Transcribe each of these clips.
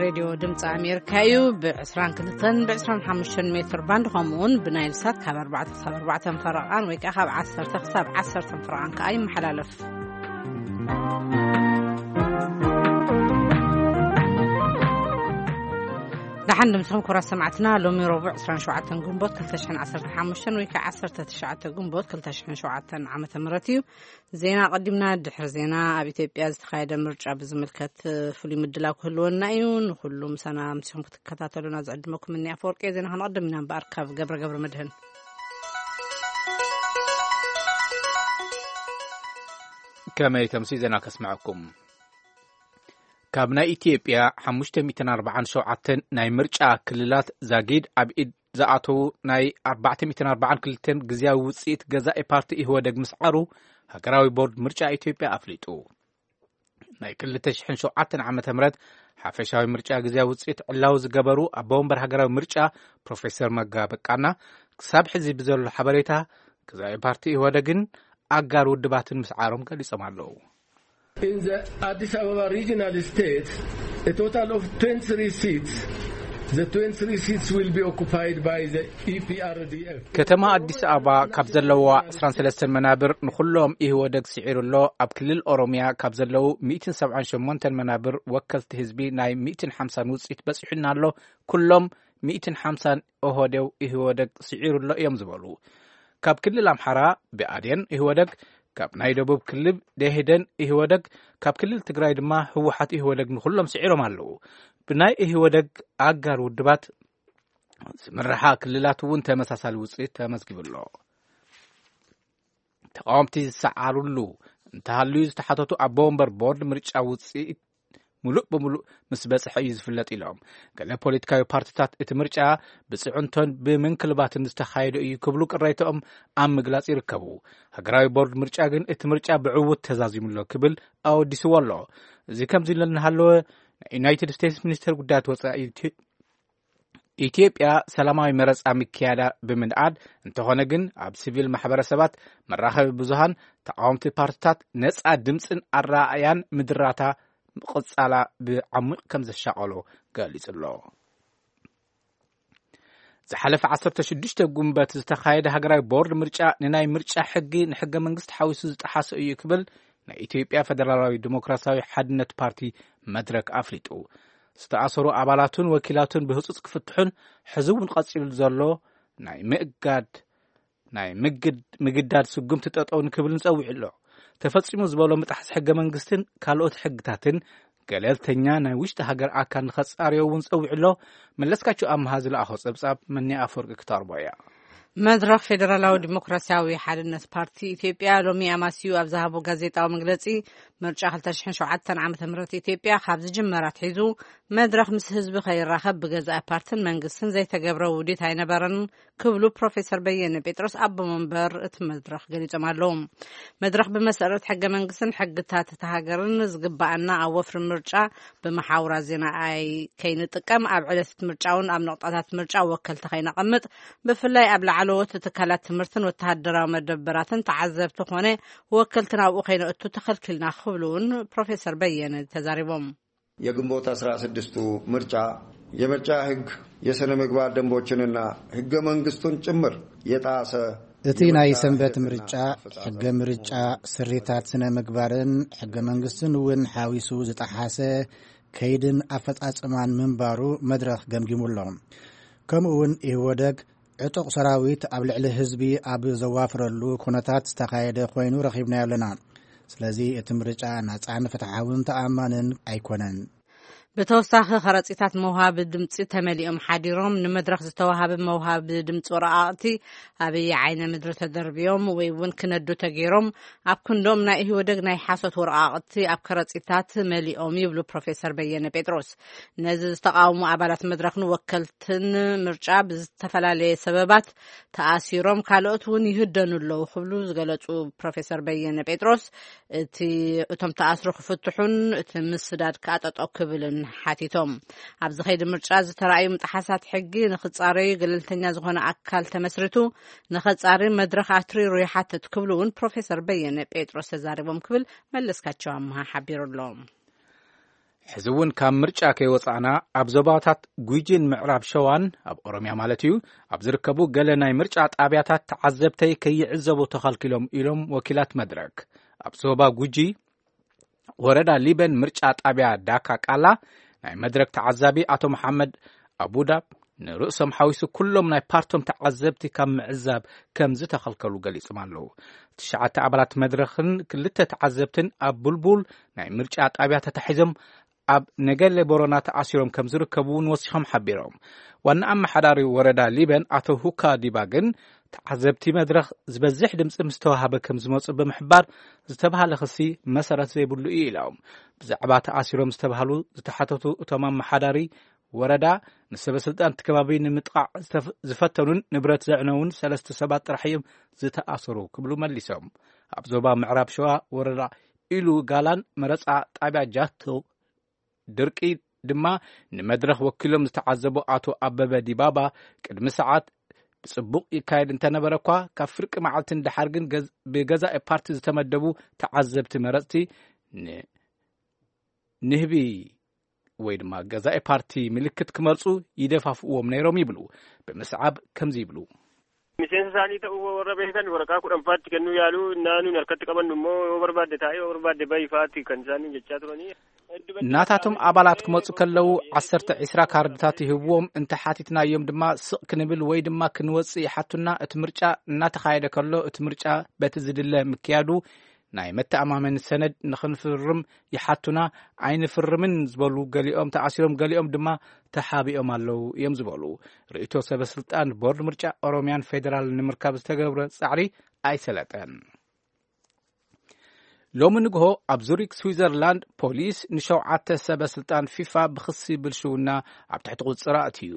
ሬድዮ ድምፂ ኣሜሪካ እዩ። ብ22 ብ25 ሜትር ባንድ፣ ከምኡውን ብናይል ሳት ካብ ኣርባዕተ ክሳብ ኣርባዕተ ፈረቓን ወይ ከዓ ካብ ዓሰርተ ክሳብ ዓሰርተ ፈረቓን ከዓ ይመሓላለፍ። ደሓን ድምፅኹም ክቡራት ሰማዕትና። ሎሚ ረቡዕ ዕስራን ሸውዓተን ግንቦት ክልተ ሽሕን ዓሰርተ ሓሙሽተን ወይ ከዓ ዓሰርተ ትሽዓተ ግንቦት ክልተ ሽሕን ሸውዓተን ዓመተ ምህረት እዩ። ዜና ኣቐዲምና። ድሕሪ ዜና ኣብ ኢትዮጵያ ዝተኻየደ ምርጫ ብዝምልከት ፍሉይ ምድላው ክህልወና እዩ። ንኹሉ ምሳና ምሲኹም ክትከታተሉና ዝዕድመኩም እኒ ኣፈወርቂ። ዜና ክንቐድም ኢና እምበኣር ካብ ገብረ ገብረ መድህን። ከመይ ተምሲ ዜና ከስምዐኩም። ካብ ናይ ኢትዮጵያ ሓሙሽተ ሚእትን ኣርባዓን ሸውዓተን ናይ ምርጫ ክልላት ዛጊድ ኣብ ኢድ ዝኣተዉ ናይ ኣርባዕተ ሚእትን ኣርባዓን ክልተን ግዝያዊ ውፅኢት ገዛኢ ፓርቲ ኢህወደግ ምስዓሩ ሃገራዊ ቦርድ ምርጫ ኢትዮጵያ ኣፍሊጡ። ናይ ክልተ ሽሕን ሸውዓተን ዓመተ ምህረት ሓፈሻዊ ምርጫ ግዝያዊ ውፅኢት ዕላዊ ዝገበሩ ኣቦ ወንበር ሃገራዊ ምርጫ ፕሮፌሰር መጋ በቃና፣ ክሳብ ሕዚ ብዘሎ ሓበሬታ፣ ገዛኢ ፓርቲ ኢህወደግን ኣጋር ውድባትን ምስዓሮም ገሊጾም ኣለዉ። In the Addis Ababa regional state, a total of twenty-three seats, the twenty-three seats will be occupied by the E P R D F. ከተማ ኣዲስ ኣበባ ካብ ዘለዋ ዕስራን ሰለስተን መናብር ንኹሎም ኢህወደግ ስዒሩ ኣሎ። ኣብ ክልል ኦሮሚያ ካብ ዘለዉ ሚእትን ሰብዓን ሸሞንተን መናብር ወከልቲ ህዝቢ ናይ ሚእትን ሓምሳን ውፅኢት በፂሑና ኣሎ። ኩሎም ሚእትን ሓምሳን ኦህዴው ኢህወደግ ስዒሩ ኣሎ እዮም ዝበሉ። ካብ ክልል ኣምሓራ ብኣዴን ኢህወደግ፣ ካብ ናይ ደቡብ ክልል ደኢህዴን ኢህወደግ፣ ካብ ክልል ትግራይ ድማ ህወሓት ኢህወደግ ንኹሎም ስዒሮም ኣለዉ። ብናይ ኢህወደግ ኣጋር ውድባት ዝምርሓ ክልላት እውን ተመሳሳሊ ውፅኢት ተመዝጊቡ ኣሎ። ተቃወምቲ ዝሰዓሩሉ እንተሃልዩ ዝተሓተቱ ኣቦ ወንበር ቦርድ ምርጫ ውፅኢት ሙሉእ ብሙሉእ ምስ በፅሐ እዩ ዝፍለጥ ኢሎም። ገለ ፖለቲካዊ ፓርቲታት እቲ ምርጫ ብፅዕንቶን ብምንክልባትን ዝተኻየደ እዩ ክብሉ ቅሬታኦም ኣብ ምግላፅ ይርከቡ። ሃገራዊ ቦርድ ምርጫ ግን እቲ ምርጫ ብዕውት ተዛዚሙ ኣሎ ክብል ኣወዲስዎ ኣሎ። እዚ ከምዚ ኢሉ እናሃለወ፣ ናይ ዩናይትድ ስቴትስ ሚኒስትር ጉዳያት ወፃኢ ኢትዮ- ኢትዮጵያ ሰላማዊ መረፃ ምክያዳ ብምንኣድ፣ እንተኾነ ግን ኣብ ሲቪል ማሕበረሰባት፣ መራኸቢ ብዙሃን፣ ተቃወምቲ ፓርቲታት ነፃ ድምፅን ኣረኣእያን ምድራታ ምቕፃላ ብዓሚቕ ከም ዘሻቐሎ ገሊጹ ኣሎ። ዝሓለፈ ዓሰርተ ሽዱሽተ ጉንበት ዝተኻየደ ሃገራዊ ቦርድ ምርጫ ንናይ ምርጫ ሕጊ፣ ንሕገ መንግስቲ ሓዊሱ ዝጠሓሰ እዩ ክብል ናይ ኢትዮጵያ ፈደራላዊ ዲሞክራሲያዊ ሓድነት ፓርቲ፣ መድረክ፣ ኣፍሊጡ። ዝተኣሰሩ ኣባላቱን ወኪላቱን ብህጹጽ ክፍትሑን ሕዚ እውን ቀጺሉ ዘሎ ናይ ምእጋድ ናይ ምግድ- ምግዳድ ስጉምቲ ጠጠው ንክብልን ጸዊዑ ኣሎ። ተፈጺሙ ዝበሎ ምጥሓስ ሕገ መንግስትን ካልኦት ሕግታትን ገለልተኛ ናይ ውሽጢ ሃገር ኣካል ንኸጻርዮ እውን ጸዊዑ ኣሎ። መለስካቸው ኣምሃ ዝለኣኾ ጸብጻብ መኒ ኣፈወርቂ ክተቕርቦ እያ። መድረኽ ፌደራላዊ ዲሞክራሲያዊ ሓድነት ፓርቲ ኢትዮጵያ ሎሚ ኣማስዩ ኣብ ዝሃቦ ጋዜጣዊ መግለጺ፣ ምርጫ ክልተ ሽሕን ሸውዓተን ዓመተ ምህረት ኢትዮጵያ ካብ ዝጅመር ኣትሒዙ መድረኽ ምስ ህዝቢ ከይራኸብ ብገዛኢ ፓርትን መንግስትን ዘይተገብረ ውዲት ኣይነበረን ክብሉ ፕሮፌሰር በየነ ጴጥሮስ ኣቦ መንበር እቲ መድረኽ ገሊጾም ኣለዉ። መድረኽ ብመሰረት ሕገ መንግስትን ሕግታት እታ ሃገርን ዝግባኣና ኣብ ወፍሪ ምርጫ ብመሓውራት ዜና ኣይ- ከይንጥቀም፣ ኣብ ዕለት ምርጫ እውን ኣብ ነቑጣታት ምርጫ ወከልቲ ከይነቐምጥ፣ ብፍላይ ኣብ ላዕለዎት ትካላት ትምህርትን ወተሃደራዊ መደበራትን ተዓዘብቲ ኮነ ወከልቲ ናብኡ ከይነእቱ ተኸልኪልና ክብሉ እውን ፕሮፌሰር በየነ ተዛሪቦም። የግንቦት አስራ ስድስቱ ምርጫ የምርጫ ህግ፣ የስነ ምግባር ደንቦችንና ህገ መንግስቱን ጭምር የጣሰ እቲ ናይ የምርጫ ሰንበት ህግና ምርጫ፣ ኣፈጻጸም ሕገ ምርጫ፣ ስሪታት ስነ ምግባርን ሕገ መንግስትን እውን ሓዊሱ ዝጠሓሰ ከይድን ኣፈጻጽማን ምንባሩ መድረኽ ገምጊሙ ኣሎ። ከምኡ እውን ኢህወደግ ዕጡቕ ሰራዊት ኣብ ልዕሊ ህዝቢ ኣብ ዘዋፍረሉ ኩነታት ዝተኻየደ ኮይኑ ረኺብናዮ ኣለና። ስለዚ እቲ ምርጫ ናጻን ፍትሓውን ተኣማንን ኣይኮነን። ብተወሳኺ ከረጺታት መውሃቢ ድምጺ ተመሊኦም ሓዲሮም፣ ንመድረኽ ዝተዋሃበ መውሃቢ ድምጺ ወረቓቕቲ ኣበየ ዓይነ ምድሪ ተደርብዮም ወይ እውን ክነዱ ተገይሮም ኣብ ክንዶም ናይ ኢህወደግ ናይ ሓሶት ወረቓቕቲ ኣብ ከረጺታት መሊኦም ይብሉ ፕሮፌሰር በየነ ጴጥሮስ። ነዚ ዝተቃወሙ ኣባላት መድረኽን ወከልትን ምርጫ ብዝተፈላለየ ሰበባት ተኣሲሮም፣ ካልኦት እውን ይህደኑ ኣለዉ ክብሉ ዝገለጹ ፕሮፌሰር በየነ ጴጥሮስ፣ እቲ እቶም ተኣስሩ ክፍትሑን እቲ ምስዳድ ከኣ ጠጠው ክብልን ሓቲቶም። ኣብዚ ከይዲ ምርጫ ዝተራእዩ ምጥሓሳት ሕጊ ንክጻረዩ ገለልተኛ ዝኾነ ኣካል ተመስሪቱ ንኸጻሪ መድረኽ ኣትሪሩ ይሓትት ክብሉ እውን ፕሮፌሰር በየነ ጴጥሮስ ተዛሪቦም ክብል መለስካቸው ኣምሃ ሓቢሩ ኣሎ። ሕዚ እውን ካብ ምርጫ ከይወጻእና ኣብ ዞባታት ጉጂን ምዕራብ ሸዋን፣ ኣብ ኦሮምያ ማለት እዩ፣ ኣብ ዝርከቡ ገለ ናይ ምርጫ ጣብያታት ተዓዘብተይ ከይዕዘቡ ተኸልኪሎም ኢሎም ወኪላት መድረክ። ኣብ ዞባ ጉጂ ወረዳ ሊበን ምርጫ ጣብያ ዳካ ቃላ ናይ መድረክ ተዓዛቢ ኣቶ መሓመድ ኣቡዳብ ንርእሶም ሓዊሱ ኩሎም ናይ ፓርቶም ተዓዘብቲ ካብ ምዕዛብ ከም ዝተኸልከሉ ገሊጾም ኣለዉ። ትሽዓተ ኣባላት መድረኽን ክልተ ተዓዘብትን ኣብ ቡልቡል ናይ ምርጫ ጣብያ ተታሒዞም ኣብ ነገሌ ቦረና ተኣሲሮም ከም ዝርከቡ እውን ወሲኾም ሓቢሮም። ዋና ኣመሓዳሪ ወረዳ ሊበን ኣቶ ሁካ ዲባ ግን ተዓዘብቲ መድረኽ ዝበዝሕ ድምፂ ምስ ተዋሃበ ከም ዝመፁ ብምሕባር ዝተባሃለ ክሲ መሰረት ዘይብሉ እዩ ኢሎም። ብዛዕባ ተኣሲሮም ዝተባሃሉ ዝተሓተቱ እቶም ኣመሓዳሪ ወረዳ ንሰበ ስልጣን እቲ ከባቢ ንምጥቓዕ ዝተፍ- ዝፈተኑን ንብረት ዘዕነውን ሰለስተ ሰባት ጥራሕ እዮም ዝተኣሰሩ ክብሉ መሊሶም። ኣብ ዞባ ምዕራብ ሸዋ ወረዳ ኢሉ ጋላን መረፃ ጣብያ ጃቶ ድርቂ ድማ ንመድረኽ ወኪሎም ዝተዓዘቡ ኣቶ ኣበበ ዲባባ ቅድሚ ሰዓት ብጽቡቕ ይካየድ እንተነበረ እኳ ካብ ፍርቂ መዓልቲ ንደሓር ግን ገዝ- ብገዛኢ ፓርቲ ዝተመደቡ ተዓዘብቲ መረፅቲ ን- ንህቢ ወይ ድማ ገዛኢ ፓርቲ ምልክት ክመርፁ ይደፋፍእዎም ነይሮም ይብሉ። ብምስዓብ ከምዚ ይብሉ። Miseensa isaanii ta'uu warra beekan waraqaa kudhan faatti kennuu yaaluu naannuun harkatti qabannu immoo yoo barbaadde taa'ee yoo barbaadde bahi faatti kan isaanii jechaa turanii. ናታቶም ኣባላት ክመፁ ከለዉ ዓሰርተ ዒስራ ካርድታት ይህብዎም፣ እንተ ሓቲትናዮም ድማ ስቕ ክንብል ወይ ድማ ክንወፅእ ይሓቱና። እቲ ምርጫ እናተኻየደ ከሎ እቲ ምርጫ በቲ ዝድለ ምክያዱ ናይ መተኣማመኒ ሰነድ ንኽንፍርም ይሓቱና። ኣይንፍርምን ዝበሉ ገሊኦም ተኣሲሮም፣ ገሊኦም ድማ ተሓቢኦም ኣለዉ እዮም ዝበሉ። ርእይቶ ሰበ ስልጣን ቦርድ ምርጫ ኦሮምያን ፌዴራል ንምርካብ ዝተገብረ ጻዕሪ ኣይሰለጠን። ሎሚ ንግሆ ኣብ ዙሪክ ስዊዘርላንድ ፖሊስ ንሸውዓተ ሰበ ስልጣን ፊፋ ብክሲ ብልሽውና ኣብ ትሕቲ ቁፅጥር ኣእትዩ።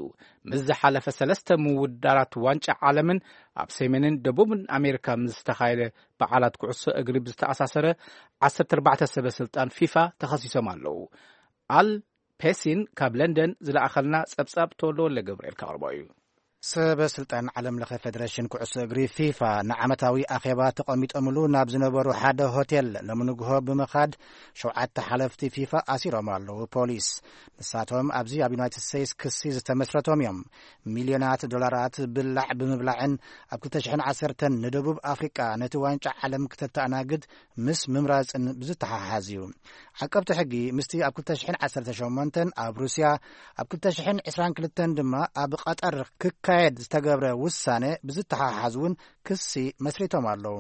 ምስ ዝሓለፈ ሰለስተ ምውዳራት ዋንጫ ዓለምን ኣብ ሰሜንን ደቡብን ኣሜሪካ ምስ ዝተኻየደ በዓላት ኩዕሶ እግሪ ብዝተኣሳሰረ ዓሰርተ ኣርባዕተ ሰበ ስልጣን ፊፋ ተኸሲሶም ኣለዉ። ኣል ፔሲን ካብ ለንደን ዝለኣኸልና ጸብጻብ ተወልደ ወልደ ገብርኤል ከቕርቦ እዩ። ሰበ ስልጣን ዓለም ለኸ ፌደሬሽን ኩዕሶ እግሪ ፊፋ ንዓመታዊ ኣኼባ ተቐሚጦምሉ ናብ ዝነበሩ ሓደ ሆቴል ሎሚ ንግሆ ብምኻድ ሸውዓተ ሓለፍቲ ፊፋ ኣሲሮም ኣለዉ ፖሊስ። ንሳቶም ኣብዚ ኣብ ዩናይትድ ስቴትስ ክሲ ዝተመስረቶም እዮም። ሚልዮናት ዶላራት ብላዕ ብምብላዕን ኣብ ክልተ ሽሕን ዓሰርተን ንደቡብ ኣፍሪቃ ነቲ ዋንጫ ዓለም ክተተኣናግድ ምስ ምምራጽን ብዝተሓሓዝ እዩ። ዓቀብቲ ሕጊ ምስቲ ኣብ ክልተ ሽሕን ዓሰርተ ሸሞንተን ኣብ ሩስያ፣ ኣብ ክልተ ሽሕን ዕስራን ክልተን ድማ ኣብ ቐጠር ክካየድ ዝተገብረ ውሳነ ብዝተሓሓዝ እውን ክሲ መስሪቶም ኣለዉ።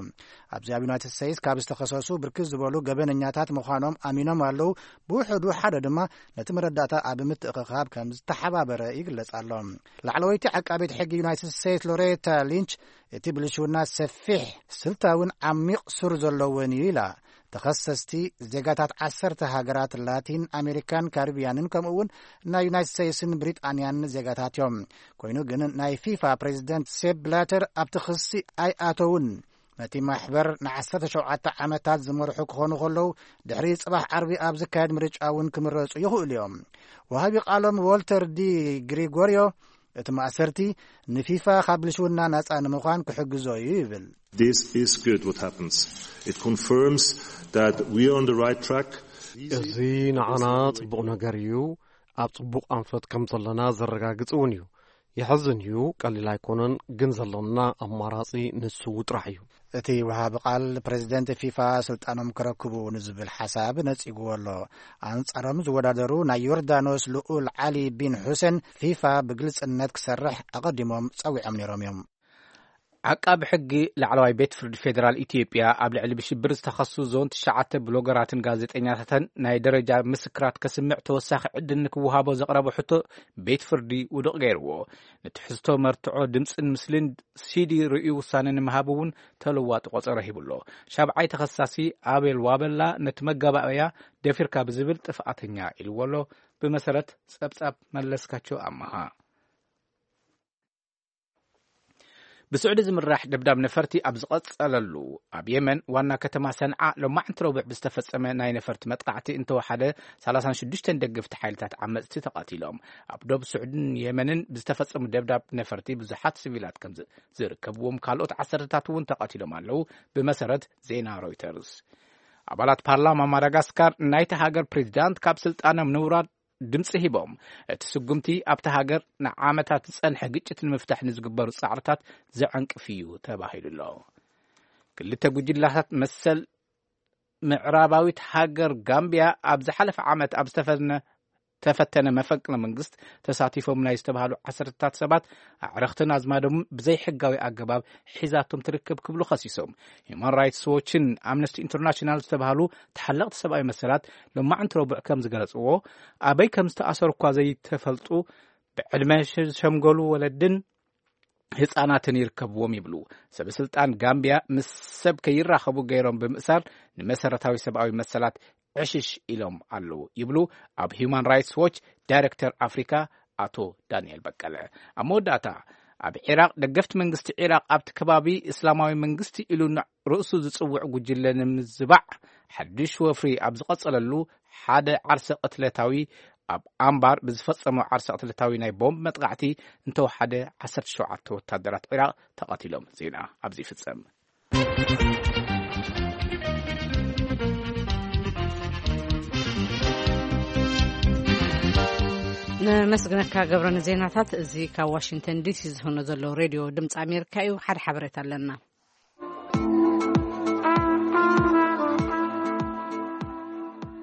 ኣብዚ ኣብ ዩናይትድ ስቴትስ ካብ ዝተኸሰሱ ብርክት ዝበሉ ገበነኛታት ምዃኖም ኣሚኖም ኣለዉ። ብውሕዱ ሓደ ድማ ነቲ መረዳእታ ኣብ ምትእኽኻብ ከም ዝተሓባበረ ይግለጽ ኣሎ። ላዕለወይቲ ዓቃቤት ሕጊ ዩናይትድ ስቴትስ ሎሬታ ሊንች እቲ ብልሽውና ሰፊሕ ስልታውን ዓሚቕ ሱር ዘለዎን እዩ ኢላ። ተኸሰስቲ ዜጋታት ዓሰርተ ሃገራት ላቲን ኣሜሪካን ካሪብያንን ከምኡ እውን ናይ ዩናይትድ ስቴትስን ብሪጣንያን ዜጋታት እዮም። ኮይኑ ግን ናይ ፊፋ ፕሬዚደንት ሴፕ ብላተር ኣብቲ ክሲ ኣይኣተውን። ነቲ ማሕበር ንዓሰርተ ሸውዓተ ዓመታት ዝመርሑ ክኾኑ ከለዉ ድሕሪ ጽባሕ ዓርቢ ኣብ ዝካየድ ምርጫ እውን ክምረጹ ይኽእሉ እዮም። ወሃቢ ቃሎም ዎልተር ዲ ግሪጎርዮ እቲ ማእሰርቲ ንፊፋ ካብ ብልሽውና ናጻ ንምዃን ክሕግዞ እዩ ይብል። This is good what happens. It confirms that we are on the right track. እዚ ንዓና ጽቡቕ ነገር እዩ። ኣብ ጽቡቕ ኣንፈት ከም ዘለና ዘረጋግጽ እውን እዩ። የሕዝን እዩ፣ ቀሊል ኣይኮነን፣ ግን ዘለና ኣማራጺ ንሱ ጥራሕ እዩ። እቲ ወሃቢ ቃል ፕሬዚደንት ፊፋ ስልጣኖም ክረክቡ ንዝብል ሓሳብ ነጺግዎ ኣሎ። ኣንጻሮም ዝወዳደሩ ናይ ዮርዳኖስ ልኡል ዓሊ ቢን ሑሴን ፊፋ ብግልጽነት ክሰርሕ ኣቐዲሞም ጸዊዖም ነይሮም እዮም። ዓቃቢ ሕጊ ላዕለዋይ ቤት ፍርዲ ፌዴራል ኢትዮጵያ ኣብ ልዕሊ ብሽብር ዝተኸሱ ዞን ትሽዓተ ብሎገራትን ጋዜጠኛታትን ናይ ደረጃ ምስክራት ከስምዕ ተወሳኺ ዕድል ንክወሃቦ ዘቕረቦ ሕቶ ቤት ፍርዲ ውዱቕ ገይርዎ። ንትሕዝቶ መርትዖ ድምፅን ምስልን ሲዲ ርእዩ ውሳነ ንምሃብ እውን ተለዋጢ ቆፀሮ ሂቡ ኣሎ። ሻብዓይ ተኸሳሲ ኣቤል ዋበላ ነቲ መጋባእያ ደፊርካ ብዝብል ጥፍኣተኛ ኢልዎ ኣሎ። ብመሰረት ፀብፃብ መለስካቸው ኣመሃ። ብስዑዲ ዝምራሕ ደብዳብ ነፈርቲ ኣብ ዝቐጸለሉ፣ ኣብ የመን ዋና ከተማ ሰንዓ ሎማዕንቲ ረቡዕ ብዝተፈጸመ ናይ ነፈርቲ መጥቃዕቲ እንተወሓደ ሰላሳን ሽዱሽተን ደገፍቲ ሓይልታት ዓመጽቲ ተቐቲሎም። ኣብ ዶብ ስዑድን የመንን ብዝተፈጸሙ ደብዳብ ነፈርቲ ብዙሓት ሲቪላት ከም ዝ- ዝርከብዎም፣ ካልኦት ዓሰርተታት እውን ተቐቲሎም ኣለዉ፣ ብመሰረት ዜና ሮይተርስ። ኣባላት ፓርላማ ማዳጋስካር ናይቲ ሃገር ፕሬዚዳንት ካብ ስልጣኖም ንውራድ ድምፂ ሂቦም። እቲ ስጉምቲ ኣብቲ ሃገር ንዓመታት ዝፀንሐ ግጭት ንምፍታሕ ንዝግበሩ ፃዕርታት ዘዐንቅፍ እዩ ተባሂሉ ኣሎ። ክልተ ጉጅላታት መሰል ምዕራባዊት ሃገር ጋምቢያ ኣብ ዝሓለፈ ዓመት ኣብ ዝተፈነ ተፈተነ መፈንቅለ መንግስት ተሳቲፎም ናይ ዝተባሃሉ ዓሰርታት ሰባት ኣዕረኽትን ኣዝማዶም ብዘይሕጋዊ ኣገባብ ሒዛቶም ትርከብ ክብሉ ከሲሶም። ሂማን ራይትስ ዎችን ኣምነስቲ ኢንተርናሽናል ዝተባሃሉ ተሓለቕቲ ሰብኣዊ መሰላት ሎማዕንቲ ረቡዕ ከም ዝገለጽዎ፣ ኣበይ ከም ዝተኣሰሩ እኳ ዘይተፈልጡ ብዕድመ ዝሸምገሉ ወለድን ህጻናትን ይርከብዎም ይብሉ። ሰበ ስልጣን ጋምቢያ ምስ ሰብ ከይራኸቡ ገይሮም ብምእሳር ንመሰረታዊ ሰብኣዊ መሰላት ዕሽሽ ኢሎም ኣለዉ ይብሉ ኣብ ሂዩማን ራይትስ ዎች ዳይሬክተር ኣፍሪካ ኣቶ ዳንኤል በቀለ። ኣብ መወዳእታ፣ ኣብ ዒራቕ ደገፍቲ መንግስቲ ዒራቕ ኣብቲ ከባቢ እስላማዊ መንግስቲ ኢሉ ርእሱ ዝጽውዕ ጉጅለ ንምዝባዕ ሓድሽ ወፍሪ ኣብ ዝቐጸለሉ፣ ሓደ ዓርሰ ቅትለታዊ ኣብ ኣምባር ብዝፈጸሞ ዓርሰ ቅትለታዊ ናይ ቦምብ መጥቃዕቲ እንተወሓደ ዓሰርተ ሸውዓተ ወታደራት ዒራቕ ተቐቲሎም። ዜና ኣብዚ ይፍጸም። ነመስግነካ ገብረ ንዜናታት። እዚ ካብ ዋሽንግተን ዲሲ ዝኾነ ዘሎ ሬድዮ ድምፂ ኣሜሪካ እዩ። ሓደ ሓበሬታ ኣለና።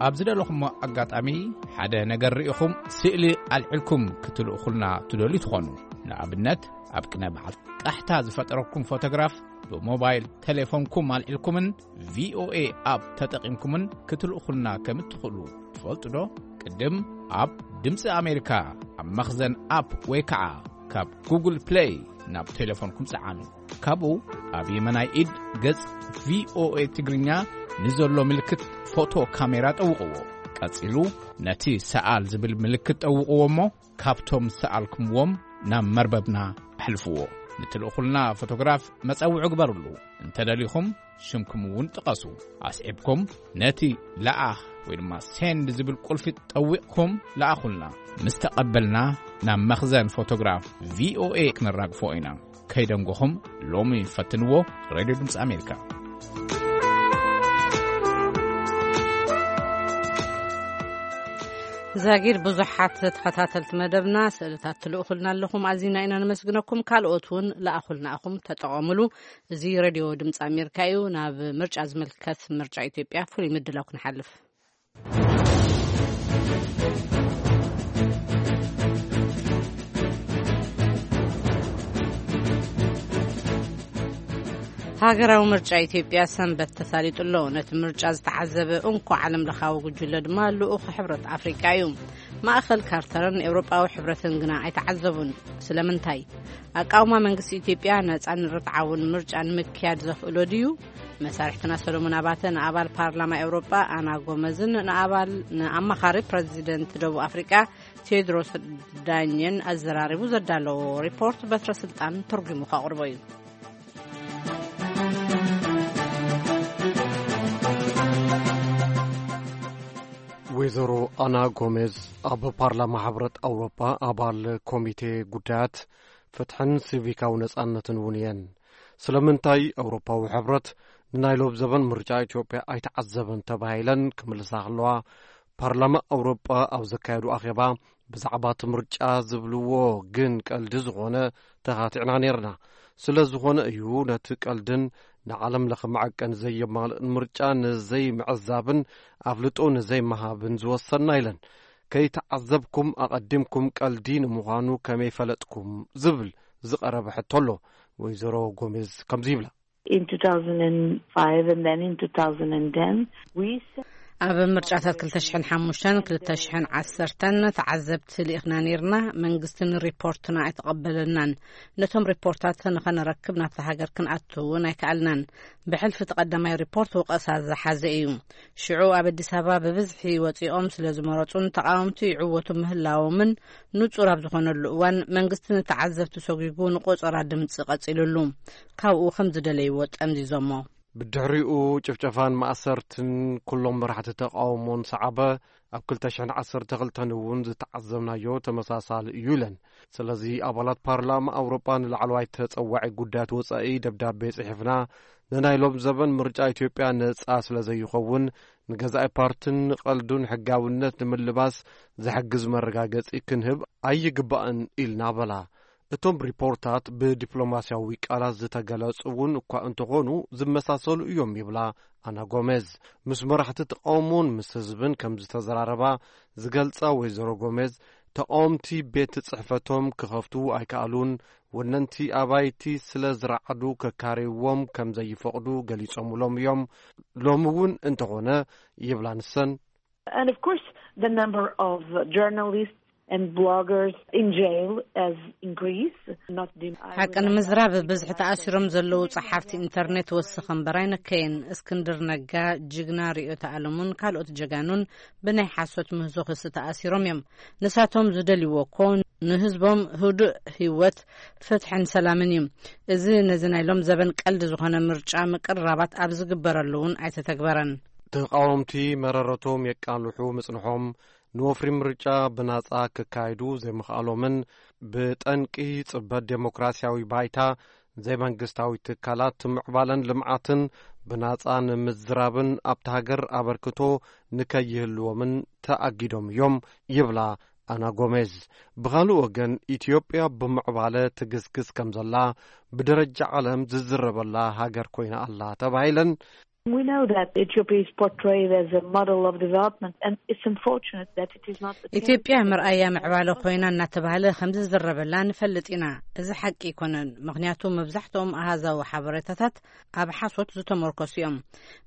ኣብ ዝደለኹሞ ኣጋጣሚ ሓደ ነገር ርኢኹም ስእሊ ኣልዒልኩም ክትልእኹልና ትደልዩ ትኾኑ። ንኣብነት፣ ኣብ ቅነ በዓል ቃሕታ ዝፈጠረኩም ፎቶግራፍ ብሞባይል ቴሌፎንኩም ኣልዒልኩምን ቪኦኤ ኣፕ ተጠቒምኩምን ክትልእኹልና ከም እትኽእሉ ትፈልጡ ዶ? ቅድም ኣብ ድምፂ ኣሜሪካ ኣብ መኽዘን ኣፕ ወይ ከዓ ካብ ጉግል ፕሌይ ናብ ቴሌፎንኩም ጸዓኑ። ካብኡ ኣብ የመናይ ኢድ ገጽ ቪኦኤ ትግርኛ ንዘሎ ምልክት ፎቶ ካሜራ ጠውቕዎ። ቀጺሉ ነቲ ሰኣል ዝብል ምልክት ጠውቕዎ እሞ ካብቶም ዝሰኣልኩምዎም ናብ መርበብና ኣሕልፍዎ። ንትልእኹልና ፎቶግራፍ መጸውዒ ግበርሉ። እንተደሊኹም ሽምኩም እውን ጥቀሱ። ኣስዒብኩም ነቲ ለኣኽ ወይ ድማ ሴንድ ዝብል ቁልፊ ጠዊቕኩም ለኣኹልና። ምስ ተቐበልና ናብ መኽዘን ፎቶግራፍ ቪኦኤ ክነራግፎ ኢና። ከይደንጎኹም ሎሚ ፈትንዎ። ሬድዮ ድምፂ ኣሜሪካ። ዛጊድ ብዙሓት ተኸታተልቲ መደብና ስእልታት ትልእኹልና ኣለኹም፣ ኣዚና ኢና ነመስግነኩም። ካልኦት እውን ለኣኹልና ኢኹም፣ ተጠቐሙሉ። እዚ ሬድዮ ድምፂ ኣሜሪካ እዩ። ናብ ምርጫ ዝምልከት፣ ምርጫ ኢትዮጵያ ፍሉይ ምድላው ክንሓልፍ። ሃገራዊ ምርጫ ኢትዮጵያ ሰንበት ተሳሊጡ ኣሎ። ነቲ ምርጫ ዝተዓዘበ እንኮ ዓለም ለኻዊ ጉጅለ ድማ ልኡኽ ሕብረት ኣፍሪቃ እዩ። ማእኸል ካርተርን ኤውሮጳዊ ሕብረትን ግና ኣይተዓዘቡን። ስለምንታይ? ኣቃውማ መንግስቲ ኢትዮጵያ ነጻን ርትዓውን ምርጫ ንምክያድ ዘኽእሎ ድዩ? መሳርሕትና ሰሎሞን ኣባተ ንኣባል ፓርላማ ኤውሮጳ ኣና ጎመዝን ንኣባል ንኣማኻሪ ፕረዚደንት ደቡብ ኣፍሪቃ ቴድሮስ ዳኘን ኣዘራሪቡ ዘዳለዎ ሪፖርት በትረ ስልጣን ተርጉሙ ከቕርቦ እዩ። ወይዘሮ ኣና ጎሜዝ ኣብ ፓርላማ ሕብረት ኣውሮጳ ኣባል ኮሚቴ ጉዳያት ፍትሕን ሲቪካዊ ነጻነትን እውን እየን። ስለምንታይ ኣውሮፓዊ ሕብረት ንናይ ሎብ ዘበን ምርጫ ኢትዮጵያ ኣይተዓዘበን ተባሂለን ክምልሳ ከለዋ፣ ፓርላማ ኣውሮጳ ኣብ ዘካየዱ ኣኼባ ብዛዕባ እቲ ምርጫ ዝብልዎ ግን ቀልዲ ዝኾነ ተኻቲዕና ነይርና። ስለ ዝኾነ እዩ ነቲ ቀልድን ንዓለም ለኸ መዐቀኒ ዘየማልእን ምርጫ ንዘይምዕዛብን ኣፍልጦ ንዘይምሃብን ዝወሰንና ኢለን። ከይተዓዘብኩም ኣቐዲምኩም ቀልዲ ንምዃኑ ከመይ ፈለጥኩም ዝብል ዝቐረበ ሕቶ ኣሎ። ወይዘሮ ጎሜዝ ከምዚ ይብላ። In two thousand and five and then in two thousand and ten, we s- ኣብ ምርጫታት ክልተ ሽሕን ሓሙሽተን ክልተ ሽሕን ዓሰርተን ተዓዘብቲ ልኢኽና ነይርና። መንግስቲ ንሪፖርትና ኣይተቐበለናን። ነቶም ሪፖርታት ንኸነረክብ ናብታ ሃገር ክንኣቱ እውን ኣይከኣልናን። ብሕልፊ እቲ ቀዳማይ ሪፖርት ወቐሳ ዝሓዘ እዩ። ሽዑ ኣብ ኣዲስ ኣበባ ብብዝሒ ወጺኦም ስለ ዝመረጹን ተቓወምቲ ይዕወቱ ምህላዎምን ንጹር ኣብ ዝኾነሉ እዋን፣ መንግስቲ ንተዓዘብቲ ሰጒጉ ንቆጸራ ድምጺ ቀጺሉሉ። ካብኡ ከም ዝደለይዎ ጠምዚዞሞ። ብድሕሪኡ ጭፍጨፋን ማእሰርትን ኩሎም መራሕቲ ተቓውሞን ሰዓበ። ኣብ ክልተ ሽሕን ዓሰርተ ክልተን እውን ዝተዓዘብናዮ ተመሳሳሊ እዩ ኢለን። ስለዚ ኣባላት ፓርላማ ኣውሮጳ ንላዕለዋይ ተጸዋዒ ጉዳያት ወጻኢ ደብዳቤ ጽሒፍና፣ ንናይ ሎም ዘበን ምርጫ ኢትዮጵያ ነጻ ስለ ዘይኸውን፣ ንገዛኢ ፓርትን ንቐልዱን ሕጋውነት ንምልባስ ዝሕግዝ መረጋገጺ ክንህብ ኣይግባእን ኢልና በላ። እቶም ሪፖርታት ብዲፕሎማስያዊ ቃላት ዝተገለጹ እውን እኳ እንተኾኑ፣ ዝመሳሰሉ እዮም ይብላ ኣና ጎሜዝ። ምስ መራሕቲ ተቃውሞን ምስ ህዝብን ከም ዝተዘራረባ ዝገልጻ ወይዘሮ ጎሜዝ፣ ተቃወምቲ ቤት ጽሕፈቶም ክኸፍቱ ኣይከኣሉን፣ ወነንቲ ኣባይቲ ስለ ዝረዓዱ ከካርይዎም ከም ዘይፈቕዱ ገሊጾምሎም እዮም። ሎሚ እውን እንተኾነ ይብላ ንሰን፣ And of course, the number of journalists and bloggers in jail has increased. Not the, I ሓቂ ንምዝራብ፣ ብዝሒ ተኣሲሮም ዘለዉ ጸሓፍቲ ኢንተርኔት ወሰኸ እምበር ኣይነከየን። እስክንድር ነጋ፣ ጅግና ርእዮተ ኣለሙን ካልኦት ጀጋኑን ብናይ ሓሶት ምህዞ ክሲ ተኣሲሮም እዮም። ንሳቶም ዝደልይዎ እኮ ንህዝቦም ህዱእ ህይወት፣ ፍትሕን ሰላምን እዩ። እዚ ነዚ ናይ ሎም ዘበን ቀልዲ ዝኾነ ምርጫ ምቅርራባት ኣብ ዝግበረሉ እውን ኣይተተግበረን። ተቃወምቲ መረረቶም የቃልሑ ምጽንሖም፣ ንወፍሪ ምርጫ ብናጻ ክካየዱ ዘይምኽኣሎምን ብጠንቂ ጽበት ዴሞክራሲያዊ ባይታ ዘይመንግስታዊ ትካላት ምዕባለን ልምዓትን ብናጻ ንምዝራብን ኣብቲ ሃገር ኣበርክቶ ንከይህልዎምን ተኣጊዶም እዮም ይብላ ኣና ጎሜዝ። ብኻልእ ወገን፣ ኢትዮጵያ ብምዕባለ ትግስግስ ከም ዘላ ብደረጃ ዓለም ዝዝረበላ ሃገር ኮይና ኣላ ተባሂለን። We know that Ethiopia is portrayed as a model of development, and it's unfortunate that it is not. ኢትዮጵያ መርኣያ ምዕባለ ኮይና እናተባህለ ከም ዝዝረበላ ንፈልጥ ኢና። እዚ ሓቂ ኣይኮነን፣ ምኽንያቱ መብዛሕትኦም ኣሃዛዊ ሓበሬታታት ኣብ ሓሶት ዝተመርኮሱ እዮም።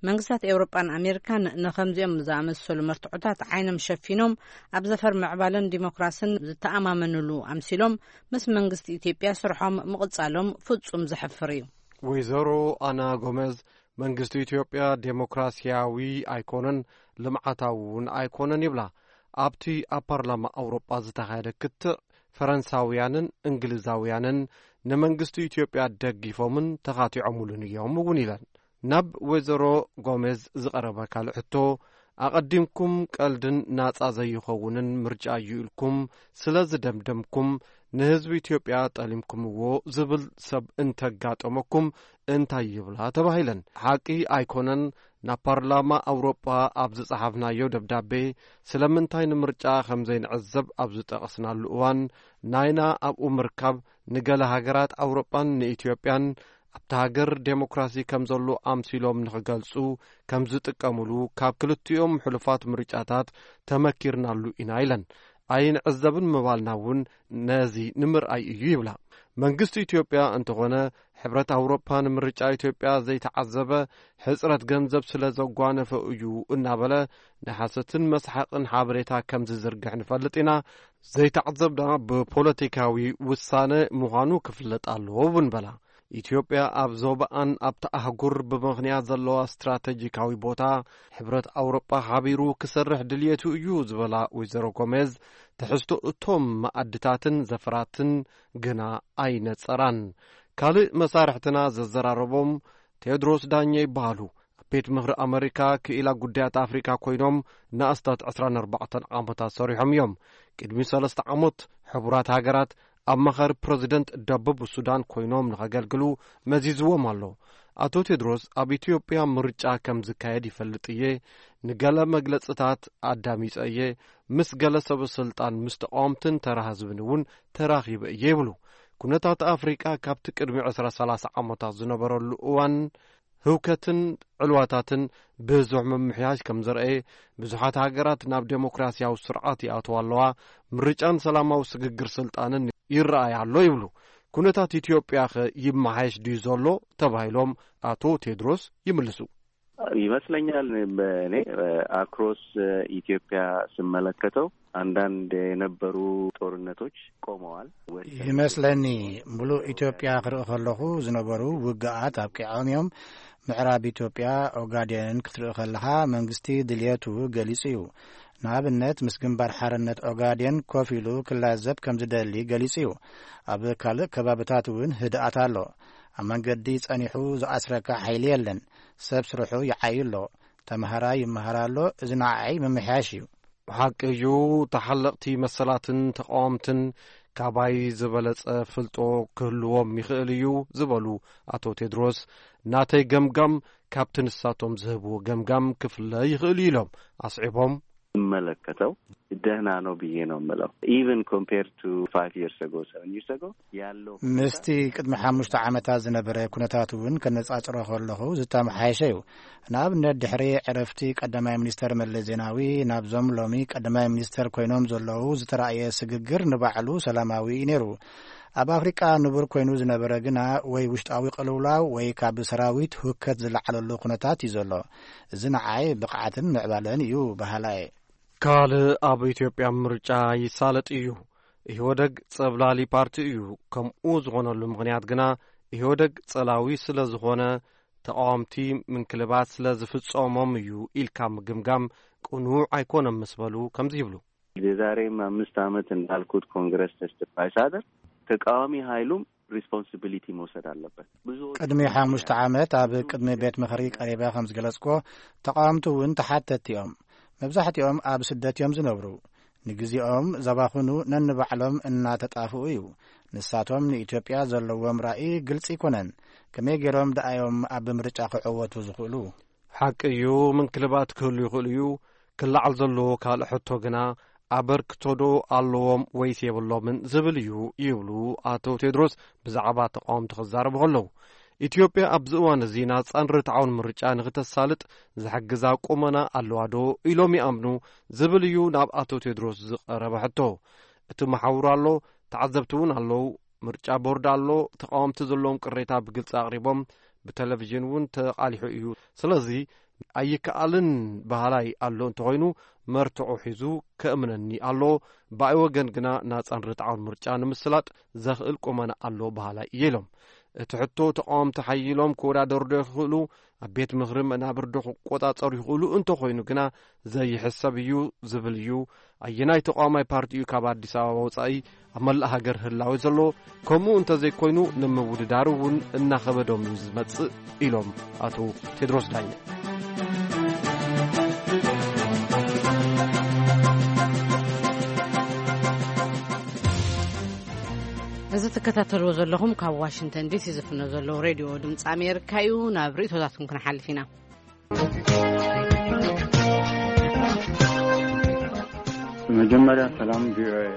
መንግስታት ኤውሮጳን ኣሜሪካን ንኸምዚኦም ዝኣመሰሉ መርትዖታት ዓይኖም ሸፊኖም፣ ኣብ ዘፈር ምዕባለን ዲሞክራስን ዝተኣማመንሉ ኣምሲሎም ምስ መንግስቲ ኢትዮጵያ ስርሖም ምቕጻሎም ፍጹም ዘሕፍር እዩ። ወይዘሮ ኣና ጎመዝ፣ መንግስቲ ኢትዮጵያ ዴሞክራሲያዊ ኣይኮነን፣ ልምዓታዊ እውን ኣይኮነን ይብላ። ኣብቲ ኣብ ፓርላማ ኣውሮጳ ዝተኻየደ ክትዕ፣ ፈረንሳውያንን እንግሊዛውያንን ንመንግስቲ ኢትዮጵያ ደጊፎምን ተኻቲዖምሉን እዮም እውን ኢለን። ናብ ወይዘሮ ጎሜዝ ዝቐረበ ካልእ ሕቶ፣ ኣቐዲምኩም ቀልድን ናጻ ዘይኸውንን ምርጫ እዩ ኢልኩም ስለ ዝደምደምኩም፣ ንህዝቢ ኢትዮጵያ ጠሊምኩምዎ ዝብል ሰብ እንተጋጠመኩም እንታይ ይብላ ተባሂለን። ሓቂ ኣይኮነን፣ ናብ ፓርላማ ኣውሮጳ ኣብ ዝጸሓፍናዮ ደብዳቤ፣ ስለምንታይ ንምርጫ ከም ዘይንዕዘብ ኣብ ዝጠቐስናሉ እዋን፣ ናይና ኣብኡ ምርካብ ንገለ ሃገራት ኣውሮጳን ንኢትዮጵያን ኣብታ ሃገር ዴሞክራሲ ከም ዘሎ ኣምሲሎም ንኽገልጹ ከም ዝጥቀምሉ ካብ ክልቲኦም ሕሉፋት ምርጫታት ተመኪርናሉ ኢና ኢለን። ኣይንዕዘብን ምባልና እውን ነዚ ንምርኣይ እዩ ይብላ። መንግስቲ ኢትዮጵያ እንተኾነ፣ ሕብረት ኣውሮፓ ንምርጫ ኢትዮጵያ ዘይተዓዘበ፣ ሕጽረት ገንዘብ ስለ ዘጓነፈ እዩ እናበለ ንሓሰትን መስሓቕን ሓበሬታ ከም ዝዝርግሕ ንፈልጥ ኢና። ዘይተዓዘብና ብፖለቲካዊ ውሳነ ምዃኑ ክፍለጥ ኣለዎ እውን በላ። ኢትዮጵያ ኣብ ዞባኣን ኣብቲ ኣህጉር ብምኽንያት ዘለዋ ስትራተጂካዊ ቦታ፣ ሕብረት ኣውሮጳ ሓቢሩ ክሰርሕ ድልየቱ እዩ ዝበላ ወይዘሮ ጎሜዝ፣ ትሕዝቶ እቶም መኣድታትን ዘፈራትን ግና ኣይነጸራን። ካልእ መሳርሕትና ዘዘራረቦም ቴድሮስ ዳኘ ይበሃሉ። ኣብ ቤት ምኽሪ ኣመሪካ ክኢላ ጉዳያት ኣፍሪካ ኮይኖም ንኣስታት ዕስራን ኣርባዕተን ዓመታት ሰሪሖም እዮም። ቅድሚ ሰለስተ ዓመት ሕቡራት ሃገራት ኣማኻሪ ፕረዚደንት ደቡብ ሱዳን ኮይኖም ንኸገልግሉ መዚዝዎም ኣሎ። ኣቶ ቴድሮስ፣ ኣብ ኢትዮጵያ ምርጫ ከም ዝካየድ ይፈልጥ እየ፣ ንገለ መግለጽታት ኣዳሚጸ እየ፣ ምስ ገለ ሰበ ስልጣን፣ ምስ ተቃወምትን ተራ ህዝብን እውን ተራኺበ እየ ይብሉ። ኩነታት ኣፍሪቃ ካብቲ ቅድሚ ዕስራ ሰላሳ ዓመታት ዝነበረሉ እዋን ህውከትን ዕልዋታትን ብዙሕ ምምሕያሽ ከም ዘርኣየ፣ ብዙሓት ሃገራት ናብ ዴሞክራሲያዊ ስርዓት ይኣትዋ ኣለዋ፣ ምርጫን ሰላማዊ ስግግር ስልጣንን ይረኣይ ኣሎ ይብሉ። ኩነታት ኢትዮጵያ ኸ ይመሓየሽ ድዩ ዘሎ ተባሂሎም ኣቶ ቴድሮስ ይምልሱ። ይመስለኛል፣ በእኔ፣ ኣክሮስ ኢትዮጵያ ስመለከተው አንዳንድ የነበሩ ጦርነቶች ቆመዋል። ወሰን ይመስለኒ፣ ሙሉእ ኢትዮጵያ ክርኢ ከለኹ ዝነበሩ ውግኣት ኣብቂዖም እዮም። ምዕራብ ኢትዮጵያ ኦጋዴንን ክትርኢ ከለኻ መንግስቲ ድልየቱ ገሊጹ እዩ። ንኣብነት ምስ ግንባር ሓርነት ኦጋዴን ኮፍ ኢሉ ክላዘብ ከም ዝደሊ ገሊጹ እዩ። ኣብ ካልእ ከባብታት እውን ህድኣት ኣሎ። ኣብ መንገዲ ጸኒሑ ዝኣስረካ ሓይሊ የለን። ሰብ ስርሑ ይዓዩ ኣሎ። ተምሃራይ ይመሃር ኣሎ። እዚ ንዓይ ምምሕያሽ እዩ። ብሓቂ እዩ፣ ተሓለቕቲ መሰላትን ተቓወምትን ካባይ ዝበለጸ ፍልጦ ክህልዎም ይኽእል እዩ ዝበሉ ኣቶ ቴድሮስ፣ ናተይ ገምጋም ካብቲ ንሳቶም ዝህብዎ ገምጋም ክፍለ ይኽእል እዩ ኢሎም ኣስዒቦም። ይመለከተው ደህና ነው ብዬ ነው የምለው። Even compared to five years ago, seven years ago ያለው ምስቲ ቅድሚ ሓሙሽተ ዓመታት ዝነበረ ኩነታት እውን ከነጻጽሮ ከለኹ ዝተመሓየሸ እዩ። ንኣብነት ድሕሪ ዕረፍቲ ቀዳማይ ሚኒስተር መለስ ዜናዊ ናብዞም ሎሚ ቀዳማይ ሚኒስተር ኮይኖም ዘለዉ ዝተራእየ ስግግር ንባዕሉ ሰላማዊ እዩ ነይሩ። ኣብ ኣፍሪቃ ንቡር ኮይኑ ዝነበረ ግና ወይ ውሽጣዊ ቅልውላው ወይ ካብ ሰራዊት ሁከት ዝለዓለሉ ኩነታት እዩ ዘሎ። እዚ ንዓይ ብቕዓትን ምዕባለን እዩ በሃላይ። ካልእ ኣብ ኢትዮጵያ ምርጫ ይሳለጥ እዩ። ኢህወደግ ጸብላሊ ፓርቲ እዩ። ከምኡ ዝኾነሉ ምኽንያት ግና ኢህወደግ ጸላዊ ስለ ዝኾነ፣ ተቓወምቲ ምንክልባት ስለ ዝፍጸሞም እዩ ኢልካ ምግምጋም ቅኑዕ ኣይኮነን ምስ በሉ ከምዚ ይብሉ። የዛሬም አምስት ዓመት እንዳልኩት ኮንግረስ ተስፋ ሳደር ተቃዋሚ ኃይሉም ሪስፖንሲቢሊቲ መውሰድ አለበት። ብዙ ቅድሚ ሓሙሽተ ዓመት ኣብ ቅድሚ ቤት ምኽሪ ቀሪበ ከም ዝገለጽኩዎ፣ ተቓወምቲ እውን ተሓተትቲ እዮም። መብዛሕትኦም ኣብ ስደት እዮም ዝነብሩ። ንግዜኦም ዘባኽኑ ነንባዕሎም እናተጣፍኡ እዩ። ንሳቶም ንኢትዮጵያ ዘለዎም ራእይ ግልጺ ኣይኮነን። ከመይ ገይሮም ደኣዮም ኣብ ምርጫ ክዕወቱ ዝኽእሉ? ሓቂ እዩ፣ ምንክልባት ክህሉ ይኽእል እዩ። ክለዓል ዘለዎ ካልእ ሕቶ ግና፣ ኣበርክቶ ዶ ኣለዎም ወይስ የብሎምን ዝብል እዩ ይብሉ ኣቶ ቴድሮስ ብዛዕባ ተቓወምቲ ክዛረቡ ከለዉ። ኢትዮጵያ ኣብዚ እዋን እዚ ናጻን ርትዓውን ምርጫ ንኽተሳልጥ ዝሕግዛ ቁመና ኣለዋ ዶ ኢሎም ይኣምኑ ዝብል እዩ ናብ ኣቶ ቴድሮስ ዝቐረበ ሕቶ። እቲ መሓውር ኣሎ፣ ተዓዘብቲ እውን ኣለዉ። ምርጫ ቦርድ ኣሎ፣ ተቓወምቲ ዘለዎም ቅሬታ ብግልጺ ኣቕሪቦም፣ ብቴሌቪዥን እውን ተቓሊሑ እዩ። ስለዚ ኣይከኣልን በሃላይ ኣሎ እንተኾይኑ፣ መርትዖ ሒዙ ከእምነኒ ኣሎ። ብኣይ ወገን ግና ናጻን ርትዓውን ምርጫ ንምስላጥ ዘኽእል ቁመና ኣሎ በሃላይ እየ ኢሎም። እቲ ሕቶ ተቓወምቲ ሓይሎም ክወዳደሩ ዶ ይኽእሉ፣ ኣብ ቤት ምኽሪ መናብር ዶ ክቆጻጸሩ ይኽእሉ እንተኾይኑ ግና ዘይሕሰብ እዩ ዝብል እዩ። ኣየናይ ተቓዋማይ ፓርቲ እዩ ካብ ኣዲስ ኣበባ ወጻኢ ኣብ መላእ ሃገር ህላወ ዘሎ? ከምኡ እንተዘይኮይኑ ንምውድዳሩ እውን እናኸበዶም እዩ ዝመጽእ ኢሎም ኣቶ ቴድሮስ ዳኘ። እዚ ትከታተልዎ ዘለኹም ካብ ዋሽንግተን ዲሲ ዝፍኖ ዘለዉ ሬድዮ ድምፂ ኣሜሪካ እዩ። ናብ ርእቶታትኩም ክንሓልፍ ኢና። መጀመርያ ሰላም ቪኦኤ።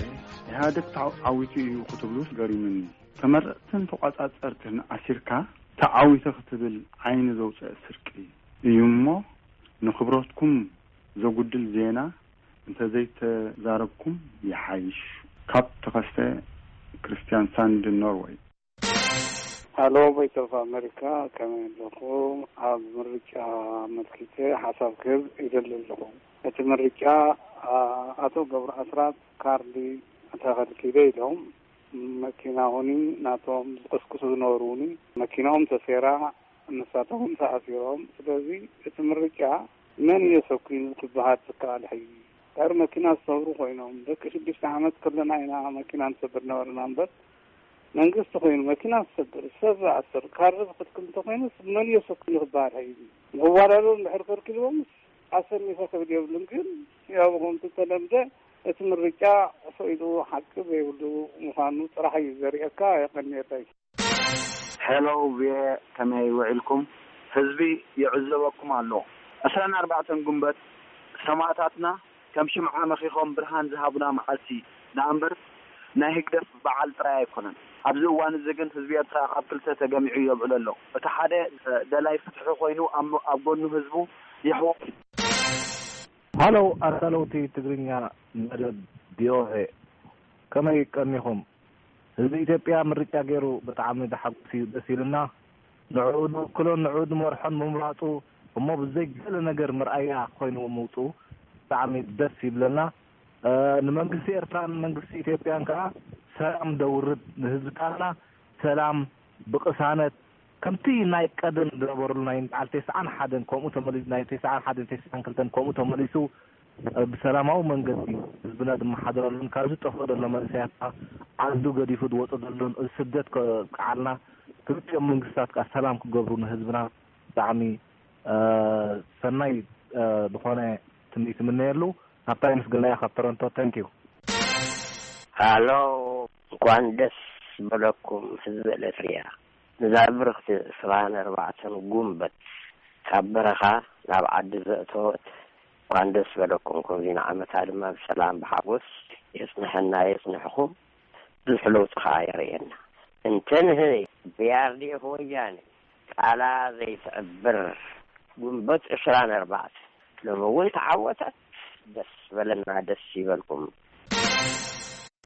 ኢህኣደግ ተዓዊቱ እዩ ክትብሉስ ገሪሙኒ። ተመረፅትን ተቋፃፀርትን ኣሲርካ ተዓዊተ ክትብል ዓይኒ ዘውፅእ ስርቂ እዩ እሞ፣ ንክብረትኩም ዘጉድል ዜና እንተዘይተዛረብኩም ይሓይሽ። ካብ ተኸስተ ክርስትያን ሳንድ፣ ኖርወይ። ሃሎ፣ ቮይስ ኦፍ ኣሜሪካ፣ ከመይ ኣለኹም? ኣብ ምርጫ ኣመልኪተ ሓሳብ ክህብ ይደሊ ኣለኹ። እቲ ምርጫ፣ ኣ-፣ ኣቶ ገብሩ ኣስራት ካርዲ ተኸልኪለ ኢሎም፣ መኪና ውን ናቶም ዝቅስቅሱ ዝነበሩ ውን መኪናኦም ተሴራ፣ ንሳቶም ውን ተኣሲሮም። ስለዚ እቲ ምርጫ መን እዩ ኣሰኪኑ ክበሃል ዝከኣል ሕጂ? ድሕሪ መኪና ዝሰብሩ ኮይኖም፣ ደቂ ሽዱሽተ ዓመት ከለና ኢና መኪና ንሰብር ነበርና እምበር፣ መንግስቲ ኮይኑ መኪና ዝሰብር፣ ሰብ ዝኣስር፣ ካርድ ዝኽልክል እንተኾይኑስ መን እዩ ኣሰኪኑ ክበሃል ሕጂ? ንኽወዳደሩ እንድሕር ከልኪልዎምስ ኣሰኒፈ ክብል የብሉን። ግን ያው ከምቲ ዝተለምደ እቲ ምርጫ ዕሶ ኢሉ ሓቂ ዘይብሉ ምዃኑ ጥራሕ እዩ ዘርእየካ። የቐንየለይ። ሄሎ ቪኦኤ፣ ከመይ ውዒልኩም? ህዝቢ ይዕዘበኩም ኣሎ። ዕስራን ኣርባዕተን ጉንበት ሰማእታትና ከም ሽምዓ መኺኾም ብርሃን ዝሃቡና መዓልቲ ደኣ እምበር ናይ ህግደፍ በዓል ጥራይ ኣይኮነን። ኣብዚ እዋን እዚ ግን ህዝቢ ኤርትራ ኣብ ክልተ ተገሚዑ የብዕሎ ኣሎ። እቲ ሓደ ደላይ ፍትሒ ኮይኑ ኣብ ኣብ ጎኑ ህዝቡ ይሕወ። ሃሎ ኣዳለውቲ ትግርኛ መደብ ቪኦኤ፣ ከመይ ቀኒኹም? ህዝቢ ኢትዮጵያ ምርጫ ገይሩ ብጣዕሚ ተሓጒሱ እዩ፣ ደስ ኢሉና። ንዕኡ ንውክሎን ንዕኡ ንመርሖን ምምራፁ እሞ ብዘይ ገለ ነገር መርኣያ ኮይኑ ምውፅኡ ብጣዕሚ ደስ ይብለና። እ፣ ንመንግስቲ ኤርትራን መንግስቲ ኢትዮጵያን ከዓ ሰላም ደውርድ፣ ንህዝብታትና ሰላም ብቅሳነት ከምቲ ናይ ቀደም ዝነበሩሉ ናይ በዓል ተስዓን ሓደን ከምኡ ተመሊሱ፣ ናይ ተስዓን ሓደን ተስዓን ክልተን ከምኡ ተመሊሱ ብሰላማዊ መንገዲ ህዝብና ዝመሓደረሉን ካብ ዝጠፍኦ ዘሎ መንእሰያት ዓዱ ገዲፉ ዝወፀ ዘሎን እዚ ስደት ከብቅዓልና ክልቲኦም መንግስታት ከዓ ሰላም ክገብሩ ንህዝብና ብጣዕሚ ሰናይ ዝኾነ ትምኒት ይምነየሉ። ካብታ የመስግናያ ካብ ቶሮንቶ። ተንኪዩ። ሃሎ፣ እንኳን ደስ በለኩም ህዝቢ ኤርትርያ። ንዛ ብርኽቲ ዕስራን ኣርባዕተን ጉንበት ካብ በረኻ ናብ ዓዲ ዘእተወት እንኳን ደስ በለኩም። ከምዚ ንዓመታ ድማ ብሰላም ብሓጎስ የጽንሐና የጽንሕኹም። ብዙሕ ለውጢ ከኣ የርእየና። እንተ ንህበይ ብኣርዲኤፍ ወያነ ቃላ ዘይትዕብር ጉንበት ዕስራን ኣርባዕተን ሎሚ እውን ተዓወተት። ደስ በለና፣ ደስ ይበልኩም።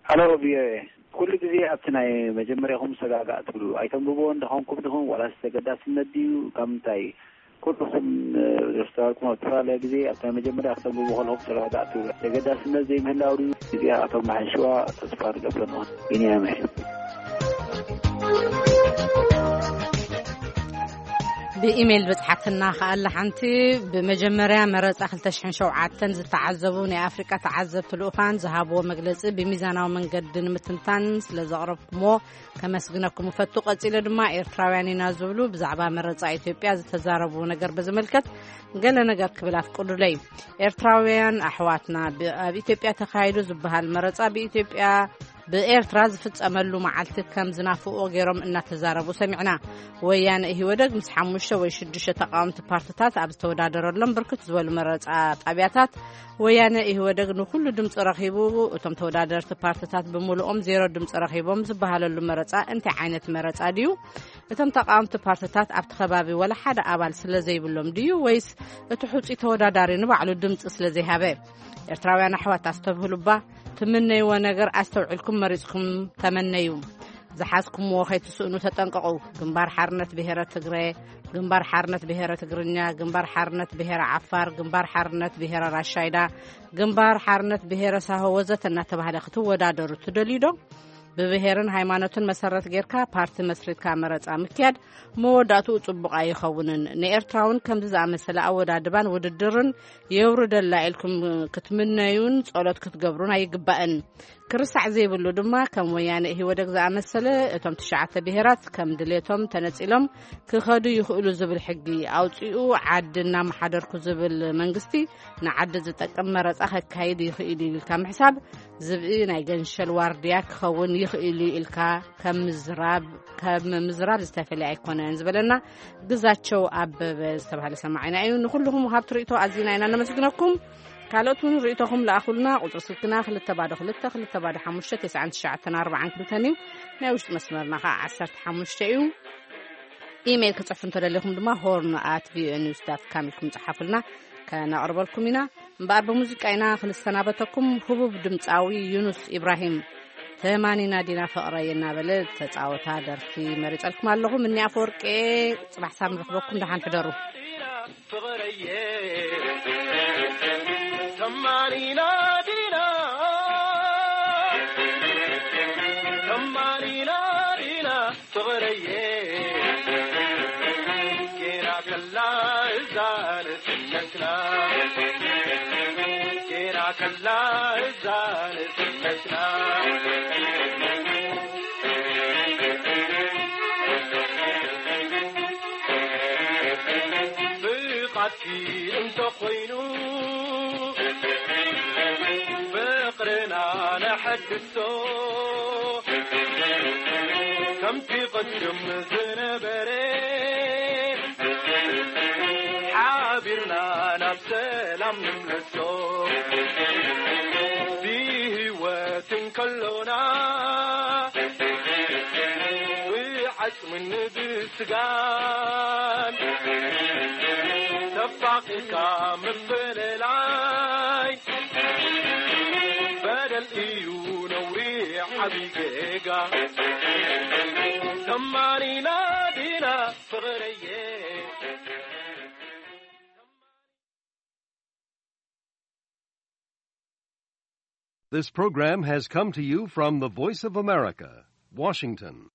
ሃሎ ቪኦኤ፣ ኩሉ ግዜ ኣብቲ ናይ መጀመርያኹም ሰጋጋእ ትብሉ ኣይተንብብዎ እንደኾንኩም ድኹም ዋላስ ተገዳስነት ድዩ ካብ ምንታይ? ኩልኹም ዘስተዋልኩም ኣብ ዝተፈላለየ ግዜ ኣብታ መጀመርያ ክተንብቡ ከለኹም ተረዳዳእ ትብሉ ተገዳስነት ዘይምህላው ድዩ? እዚኣ ኣቶም መሓንሽዋ ተስፋ ንገብረ ንኾን። ቢንያም እየ። ብኢሜይል በጽሓትና ከኣላ ሓንቲ። ብመጀመርያ መረጻ ክልተ ሽሕን ሸውዓተን ዝተዓዘቡ ናይ ኣፍሪቃ ተዓዘብቲ ልኡኻን ዝሃብዎ መግለጺ ብሚዛናዊ መንገዲ ንምትንታን ስለ ዘቕረብኩምዎ ከመስግነኩም እፈቱ። ቀጺለ ድማ ኤርትራውያን ኢና ዝብሉ ብዛዕባ መረጻ ኢትዮጵያ ዝተዛረብዎ ነገር ብዝምልከት ገለ ነገር ክብል ኣፍቅዱለይ። ኤርትራውያን ኣሕዋትና፣ ብ-፣ ኣብ ኢትዮጵያ ተኻይዱ ዝበሃል መረጻ ብኢትዮጵያ ብኤርትራ ዝፍጸመሉ መዓልቲ ከም ዝናፍቕዎ ገይሮም እናተዛረቡ ሰሚዕና። ወያነ ኢህወደግ ምስ ሓሙሽተ ወይ ሽዱሽተ ተቃወምቲ ፓርትታት ኣብ ዝተወዳደረሎም ብርክት ዝበሉ መረጻ ጣብያታት ወያነ ኢህወደግ ንኹሉ ድምፂ ረኺቡ፣ እቶም ተወዳደርቲ ፓርትታት ብምሉኦም ዜሮ ድምፂ ረኺቦም ዝበሃለሉ መረፃ እንታይ ዓይነት መረፃ ድዩ? እቶም ተቃወምቲ ፓርትታት ኣብቲ ከባቢ ወላ ሓደ ኣባል ስለ ዘይብሎም ድዩ ወይስ እቲ ሕፁይ ተወዳዳሪ ንባዕሉ ድምፂ ስለ ዘይሃበ? ኤርትራውያን ኣሕዋት ኣስተብህሉባ፣ ትምነይዎ ነገር ኣስተውዒልኩም መሪፅኩም ተመነዩ። ዝሓዝኩምዎ ከይትስእኑ ተጠንቀቑ። ግንባር ሓርነት ብሄረ ትግረ፣ ግንባር ሓርነት ብሄረ ትግርኛ፣ ግንባር ሓርነት ብሄረ ዓፋር፣ ግንባር ሓርነት ብሄረ ራሻይዳ፣ ግንባር ሓርነት ብሄረ ሳሆ ወዘተ እናተባህለ ክትወዳደሩ ትደልዩ ዶ? ብብሄርን ሃይማኖትን መሰረት ጌርካ ፓርቲ መስሪትካ መረፃ ምክያድ መወዳእትኡ ፅቡቕ ኣይኸውንን። ንኤርትራ እውን ከምዚ ዝኣመሰለ ኣወዳድባን ውድድርን የውርደላ ኢልኩም ክትምነዩን ጸሎት ክትገብሩን ኣይግባእን። ክርሳዕ ዘይብሉ ድማ ከም ወያነ ኢህወደግ ዝኣመሰለ እቶም ትሽዓተ ብሄራት ከም ድሌቶም ተነጺሎም ክኸዱ ይኽእሉ ዝብል ሕጊ ኣውጺኡ ዓዲ እናመሓደርኩ ዝብል መንግስቲ ንዓዲ ዝጠቅም መረጻ ከካይድ ይኽእል እዩ ኢልካ ምሕሳብ ዝብኢ ናይ ገንሸል ዋርድያ ክኸውን ይኽእል እዩ ኢልካ ከም ምዝራብ ከም ምዝራብ ዝተፈልየ ኣይኮነን ዝበለና ግዛቸው ኣበበ ዝተባህለ ሰማዒና እዩ። ንኹልኹም ወሃብቲ ርእይቶ ኣዚና ኢና ነመስግነኩም። ካልኦት እውን ርእይቶኹም ለኣኹልና። ቁጽሪ ስልክና ክልተ ባዶ ክልተ ክልተ ባዶ ሓሙሽተ ተስዓን ትሽዓተን ኣርባዓን ክልተን እዩ። ናይ ውሽጢ መስመርና ኸዓ ዓሰርተ ሓሙሽተ እዩ። ኢሜይል ክጽሕፉ እንተደሊኹም ድማ ሆርን ኣት ቪኦኤ ኒውስ ዳት ካም ኢልኩም ጸሓፉልና፣ ከነቕርበልኩም ኢና። እምበኣር ብሙዚቃ ኢና ክንሰናበተኩም። ህቡብ ድምጻዊ ዩኑስ ኢብራሂም ተማኒና ዲና ፍቕረይ እናበለ ተጻወታ ደርፊ መሪጸልኩም ኣለኹ። ምኒ ኣፈወርቄ፣ ጽባሕ ሳብ ንረኽበኩም፣ ደሓን ሕደሩ። ፍቕረየ ተማኒና ዲና፣ ተማኒና ዲና ፍቕረየ፣ ጌና ከላ እዛ ንስነትና፣ ጌና ከላ እዛ ንስነትና። ብቓትኪ እንተኾይኑ ፍቕርና ነሐድሶ፣ ከምቲ ቅድም ዝነበረ ሓቢርና ናብ ሰላም ንምለሶ። ብህይወት እንከሎና ብዓጽምን ብስጋን ተፋቒርካ ምፍልላይ በደል እዩ ነውሪ ዓብዪ ጌጋ። ተማኒና ዲና ፍቕረየ። This program has come to you from the Voice of America, Washington.